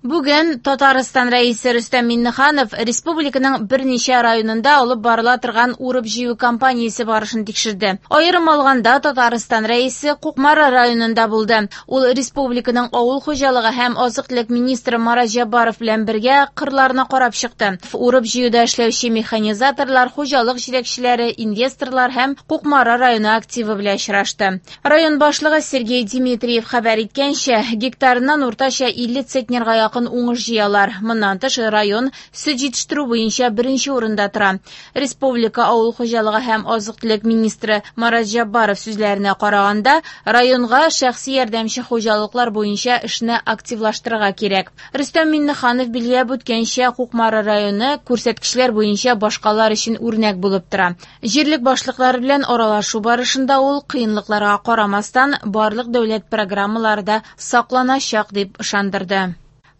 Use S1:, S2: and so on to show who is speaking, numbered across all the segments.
S1: Бүген Татарстан Рәисе Рөстәм Миңнеханов республиканың берничә районында алып барыла торган урып-җыю кампаниясе барышын тикшерде. Аерым алганда, Татарстан Рәисе Кукмара районында булды. Ул республиканың авыл хуҗалыгы һәм азык-төлек министры Марат Җәббаров белән бергә кырларны карап чыкты. Урып-җыюда эшләүче механизаторлар, хуҗалык җитәкчеләре, инвесторлар һәм Кукмара районы активы белән очрашты. Район башлыгы Сергей Дмитриев хәбәр иткәнчә, гектарыннан уртача 50 центнерга якын уңыш җыялар. Моннан тыш, район сөт җитештерү буенча беренче урында тора. Республика авыл хуҗалыгы һәм азык-төлек министры Марат Җәббаров сүзләренә караганда, районга шәхси ярдәмче хуҗалыклар буенча эшне активлаштырырга кирәк. Рөстәм Миңнеханов билгеләп үткәнчә, Кукмара районы күрсәткечләр буенча башкалар өчен үрнәк булып тора. Җирлек башлыклары белән аралашу барышында ул кыенлыкларга карамастан, барлык дәүләт программалары да сакланачак дип ышандырды.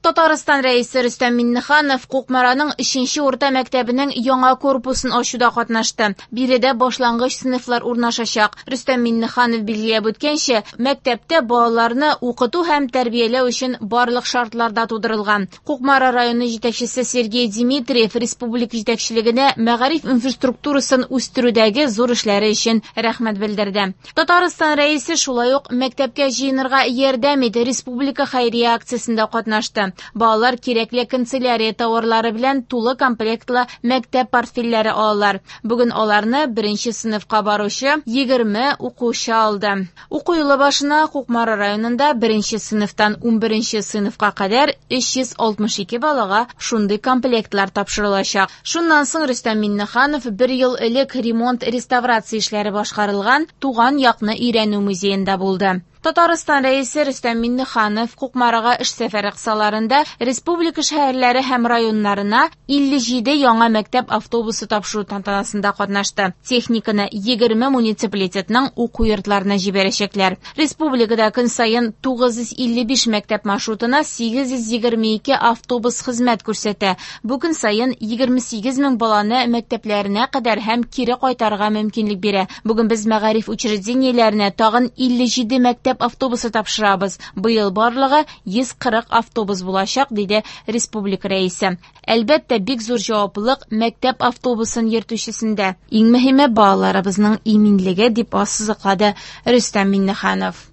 S1: Татарстан Рәисе Рөстәм Миңнеханов Кукмараның 3нче урта мәктәбенең яңа корпусын ачуда катнашты. Биредә башлангыч сыйныфлар урнашачак. Рөстәм Миңнеханов билгеләп үткәнчә, мәктәптә балаларны укыту һәм тәрбияләү өчен барлык шартлар да тудырылган. Кукмара районы җитәкчесе Сергей Дмитриев республика җитәкчелегенә мәгариф инфраструктурасын үстерүдәге зур эшләре өчен рәхмәт белдерде. Татарстан Рәисе шулай ук мәктәпкә җыенырга ярдәм ит республика хәйрия акциясендә катнашты. Балалар кирәкле канцелярия тауарлары белән тулы комплектлы мәктәп портфельләре алалар. Бүген аларны беренче сыйныфка баручы 20 укучы алды. Уку елы башына Кукмара районында беренче сыйныфтан 11 сыйныфка кадәр 362 балага шундый комплектлар тапшырылачак. Шуннан соң Рөстәм Миңнеханов бер ел элек ремонт-реставрация эшләре башкарылган Туган якны өйрәнү музеенда булды. Татарстан Рәисе Рөстәм Миңнеханов Кукмарага эш сәфәре кысаларында республика шәһәрләре һәм районнарына 57 яңа мәктәп автобусы тапшыру тантанасында катнашты. Техниканы 20 муниципалитетның уку йортларына җибәрәчәкләр. Республикада көн саен 955 мәктәп маршрутына 822 автобус хезмәт күрсәтә. Бу көн саен 28 мең баланы мәктәпләренә кадәр һәм кире кайтарырга мөмкинлек бирә. Бүген без мәгариф учреждениеләренә тагын 57 мәктәп автобусы тапшырабыз. Быел барлыгы 140 автобус булачак, диде республика рәисе. Әлбәттә, бик зур җаваплылык мәктәп автобусын йөртүчесендә. Иң мөһиме балаларыбызның иминлеге, дип ассызыклады Рөстәм Миңнеханов.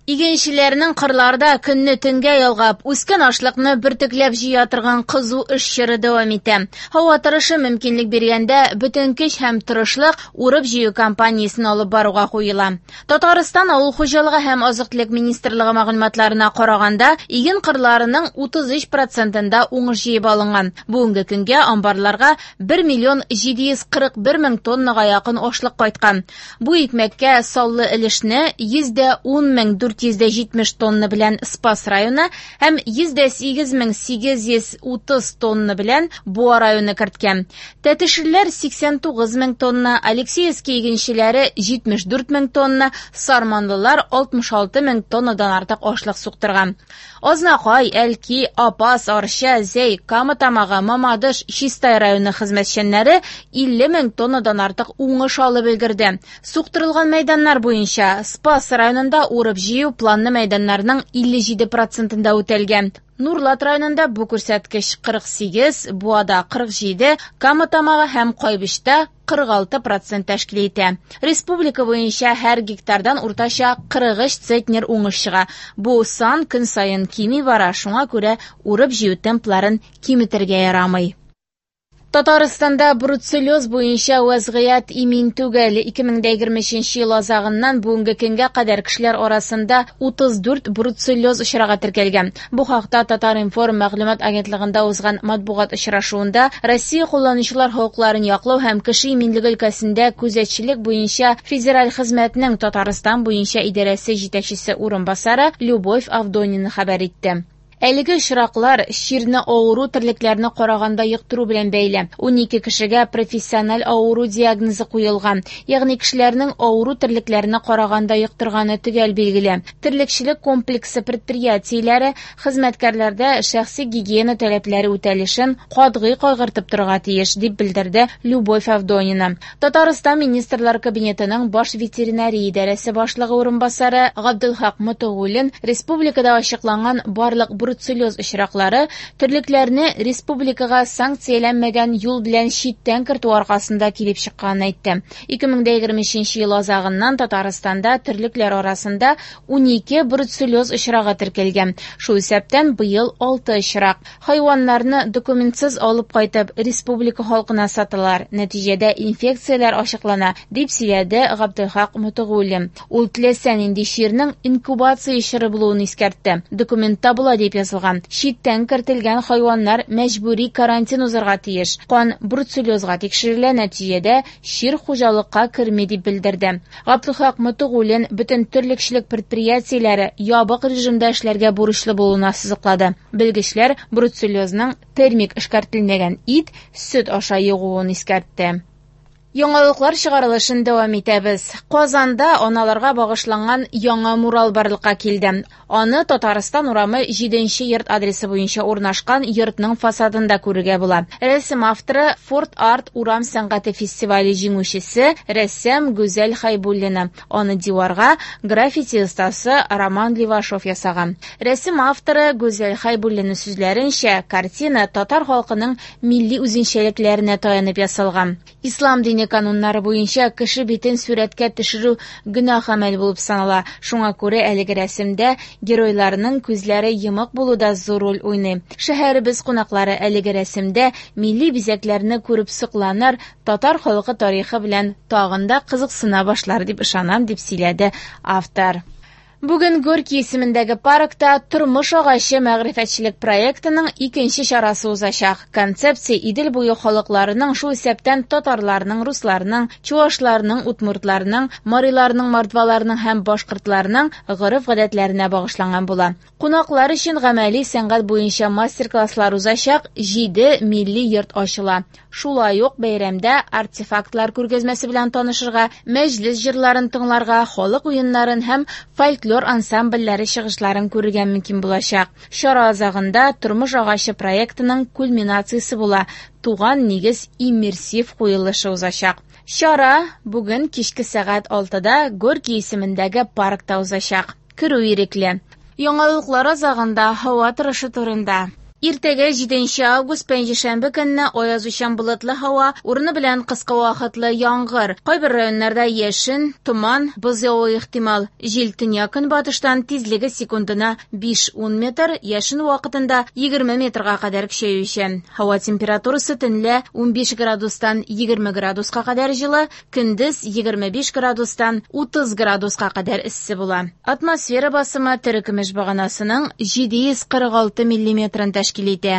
S1: Игенчеләрнең кырларда көнне төнгә ялгап, үскән ашлыкны бөртекләп җыя торган кызу эш чоры дәвам итә. Һава торышы мөмкинлек биргәндә, бөтен көч һәм тырышлык урып-җыю кампаниясен алып баруга куела. Татарстан авыл хуҗалыгы һәм азык-төлек министрлыгы мәгълүматларына караганда, иген кырларының 33%-ында уңыш җыеп алынган. Бүгенге көнгә амбарларга 1 миллион 741 мең тоннага якын ашлык кайткан. Бу икмәккә саллы өлешне 110 470 тонна белән Спас районы һәм 108 830 тонна белән Буа районы керткән. Тәтешлеләр 89 мең тонна, Алексеевский игенчеләре 74 мең тонна, сарманлылар 66 мең тоннадан артык ашлык суктырган. Азнакай, Әлки, Апас, Арча, Зәй, Кама Тамагы, Мамадыш, Чистай районы хезмәтчәннәре 50 мең тоннадан артык уңыш алып өлгерде. Суктырылган мәйданнар буенча Спас районында урып-җыю планлы мәйданнарның 57%-ында үтәлгән. Нурлат районында бу күрсәткеч 48, Буада 47, Кама Тамагы һәм Кайбычта 46% тәшкил итә. Республика буенча һәр гектардан уртача 43 центнер уңыш чыга. Бу сан көн саен кими бара, шуңа күрә урып-җыю темпларын киметергә ярамый. Татарстанда бруцеллез буенча вазгыять имин түгел. 2023 ел азагыннан бүгенге көнгә кадәр кешеләр арасында 34 бруцеллез очрагы теркәлгән. Бу хакта Татар-информ мәгълүмат агентлыгында узган матбугат очрашуында Россия кулланучылар хокукларын яклау һәм кеше иминлеге өлкәсендә күзәтчелек буенча федераль хезмәтнең Татарстан буенча идарәсе җитәкчесе урынбасары Любовь Авдонина хәбәр итте. Әлеге очраклар чирне авыру терлекләрне караганда йоктыру белән бәйле. 12 кешегә профессиональ авыру диагнозы куелган. Ягъни кешеләрнең авыру терлекләрне караганда йоктырганы төгәл билгеле. Терлекчелек комплексы предприятиеләре хезмәткәрләрдә шәхси гигиена таләпләре үтәлешен катгый кайгыртып торырга тиеш, дип белдерде Любовь Авдонина. Татарстан Министрлар Кабинетының баш ветеринария идарәсе башлыгы урынбасары Габдулхак Мотогуллин республикада ачыкланган барлык бруцеллез очраклары терлекләрне республикага санкцияләнмәгән юл белән читтән кертү аркасында килеп чыкканын әйтте. 2023 ел азагыннан Татарстанда терлекләр арасында 12 бруцеллез очрагы теркәлгән. Шул исәптән быел 6 очрак. Хайваннарны документсыз алып кайтып, республика халкына саталар. Нәтиҗәдә инфекцияләр ачыклана, дип сөйләде Габделхак Мотыгуллин. Ул теләсә нинди чирнең инкубация чоры булуын искәртте. Документта болай дип язылган: читтән кертелгән хайваннар мәҗбүри карантин узарга тиеш. Кан бруцеллезга тикшерелә, нәтиҗәдә чир хуҗалыкка керми дип белдерде. Габделхак Мотыгуллин бөтен терлекчелек предприятиеләре ябык режимда эшләргә бурычлы булуын ассызыклады. Белгечләр бруцеллезның термик эшкәртелмәгән ит, сөт аша йогуын искәртте. Яңалыклар чыгарылышын дәвам итәбез. Казанда аналарга багышланган яңа мурал барлыкка килде. Аны Татарстан урамы 7 йорт адресы буенча урнашкан йортның фасадында күрергә була. Рәсем авторы Форт Арт урам сәнгате фестивале җиңүчесе рәссам Гүзәл Хайбуллина. Аны диварга граффити остасы Роман Левашов ясаган. Рәсем авторы Гүзәл Хайбуллина сүзләренчә, картина татар халкының милли үзенчәлекләренә таянып ясалган. Ислам дине кануннары буенча кеше битен сурәткә төшерү гөнаһ гамәл булып санала. Шуңа күрә әлеге рәсемдә геройларның күзләре йомык булу да зур роль уйный. Шәһәребез кунаклары әлеге рәсемдә милли бизәкләрне күреп сокланыр, татар халкы тарихы белән тагын да кызыксына башлар дип ышанам, дип сөйләде автор. Бүген Горький исемендәге паркта «Тормыш агачы» мәгърифәтчелек проектының икенче чарасы узачак. Концепция Идел буе халыкларының, шул исәптән татарларның, русларның, чуашларның, удмуртларның, мариларның, мордваларның һәм башкортларның гореф-гадәтләренә багышланган була. Кунаклар өчен гамәли сәнгать буенча мастер-класслар узачак, 7 милли йорт ачыла. Шулай ук бәйрәмдә артефактлар күргәзмәсе белән танышырга, мәҗлес җырларын тыңларга, халык уеннарын һәм фольклор ансамбльләре чыгышларын күрергә мөмкин булачак. Чара азагында «Тормыш агачы» проектының кульминациясе була, туган нигез иммерсив куелышы узачак. Чара бүген кичке сәгать 6-да Горький исемендәге паркта узачак. Керү ирекле. Яңалыклар азагында һава торышы турында. Иртәгә 7 август пәнҗешәмбе көнне аязучан болытлы һава, урыны белән кыска вакытлы яңгыр. Кайбер районнарда яшен, томан, боз явуы ихтимал. Җил төньяк-көнбатыштан тизлеге секундына 5-10 метр, яшен вакытында 20 метрга кадәр көчәючән. Һава температурасы төнлә 15 градустан 20 градуска кадәр җылы, көндез 25 градустан 30 градуска кадәр эссе була. Атмосфера басымы терекөмеш баганасының 746 миллиметрын тәшкил итә.